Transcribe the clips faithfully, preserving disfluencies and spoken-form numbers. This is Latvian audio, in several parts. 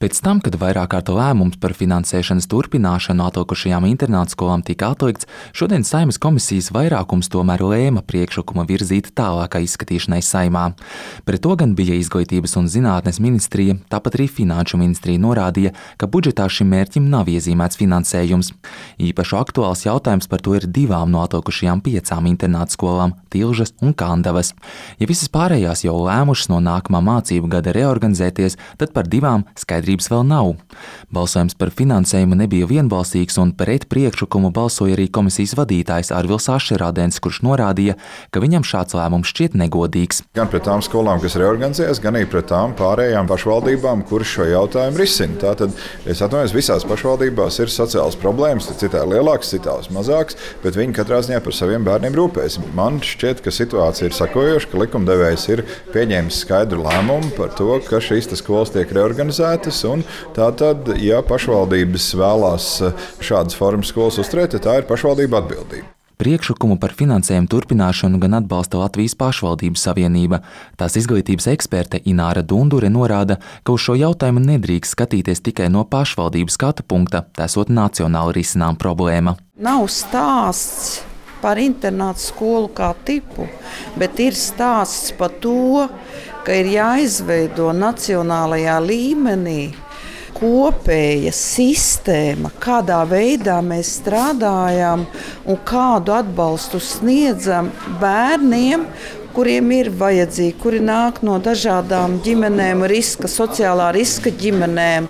Pēc tam, kad vairāk kārtu lēmums par finansēšanas turpināšanu atlikušajām internātskolām tika atlikts, šodien Saeimas komisijas vairākums tomēr lēma priekšlikumu virzīt tālākai izskatīšanai Saeimā. Pret to gan bija Izglītības un zinātnes ministrija, tāpat arī Finanšu ministrija norādīja, ka budžetā šim mērķim nav iezīmēts finansējums. Īpaši aktuāls jautājums par to ir divām no atlikušajām piecām internātskolām – Tilžas un Kandavas. Ja visas pārējās jau lēmušas no nākamā mācību gada reorganizēties, tad par divām skaidrības vēl nav. Balsojums par finansējumu nebija vienbalsīgs un pret priekšlikumu balsoja arī komisijas vadītājs Arvils Ašerādens, kurš norādīja, ka viņam šāds lēmums šķiet negodīgs. Gan pret tām skolām, kas reorganizējas, gan arī pret tām pārējām pašvaldībām, kuras šo jautājumu risina. Tātad, es atvainojos, visās pašvaldībās ir sociālas problēmas, citā lielākas, citās mazākas, bet viņi katrā ziņā par saviem bērniem rūpēs. Man šķiet, ka situācija ir sakojoša, ka likumdevējs ir pieņēmis skaidru lēmumu par to, ka šīs skolas tiek reorganizētas. Un tātad, ja pašvaldības vēlās šādas formas skolas uzturēt, tā ir pašvaldība atbildība. Priekšlikumu par finansējumu turpināšanu gan atbalsta Latvijas pašvaldību savienība. Tās izglītības eksperte Ināra Dundure norāda, ka uz šo jautājumu nedrīkst skatīties tikai no pašvaldības skatu punkta, tā esot nacionāli risinām problēma. Nav stāsts par internātu skolu kā tipu, bet ir stāsts par to, ka ir jāizveido nacionālajā līmenī kopēja sistēma, kādā veidā mēs strādājam un kādu atbalstu sniedzam bērniem, kuriem ir vajadzīgi, kuri nāk no dažādām ģimenēm, riska, sociālā riska ģimenēm.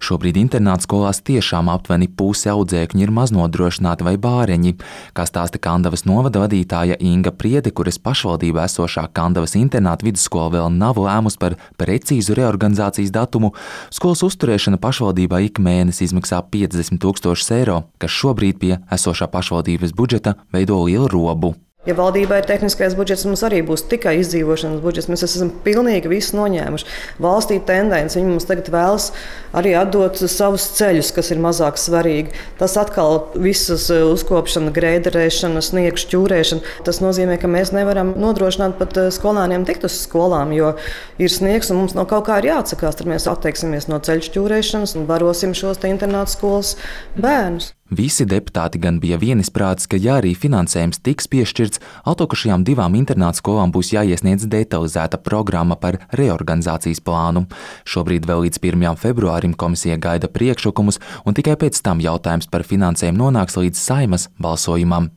Šobrīd internātskolās tiešām aptuveni puse audzēkņi ir maznodrošināti vai bāreņi. Kā stāsta Kandavas novada vadītāja Inga Priede, kuras pašvaldībā esošā Kandavas internāta vidusskola vēl nav lēmus par precīzu reorganizācijas datumu, skolas uzturēšana pašvaldībā ik mēnesi izmaksā piecdesmit tūkstošus eiro, kas šobrīd pie esošā pašvaldības budžeta veido lielu robu. Ja valdībai ir tehniskais budžets, mums arī būs tikai izdzīvošanas budžets. Mēs esam pilnīgi visu noņēmuši. Valstī tendence, viņi mums tagad vēlas arī atdot savus ceļus, kas ir mazāk svarīgi. Tas atkal visas uzkopšana, greiderēšana, sniegu šķūrēšana. Tas nozīmē, ka mēs nevaram nodrošināt pat skolēniem tikt uz skolām, jo ir sniegs un mums no kaut kā ir jāatsakās. Tad mēs atteiksimies no ceļu šķūrēšanas un barosim šos te internātu skolas bērnus. Visi deputāti gan bija vienisprātis, ka ja arī finansējums tiks piešķirts, atlikušajām divām internātskolām būs jāiesniedz detalizēta programma par reorganizācijas plānu. Šobrīd vēl līdz pirmajam februārim komisija gaida priekšlikumus, un tikai pēc tam jautājums par finansējumu nonāks līdz Saeimas balsojumam.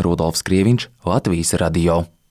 Rudolfs Krieviņš, Latvijas radio.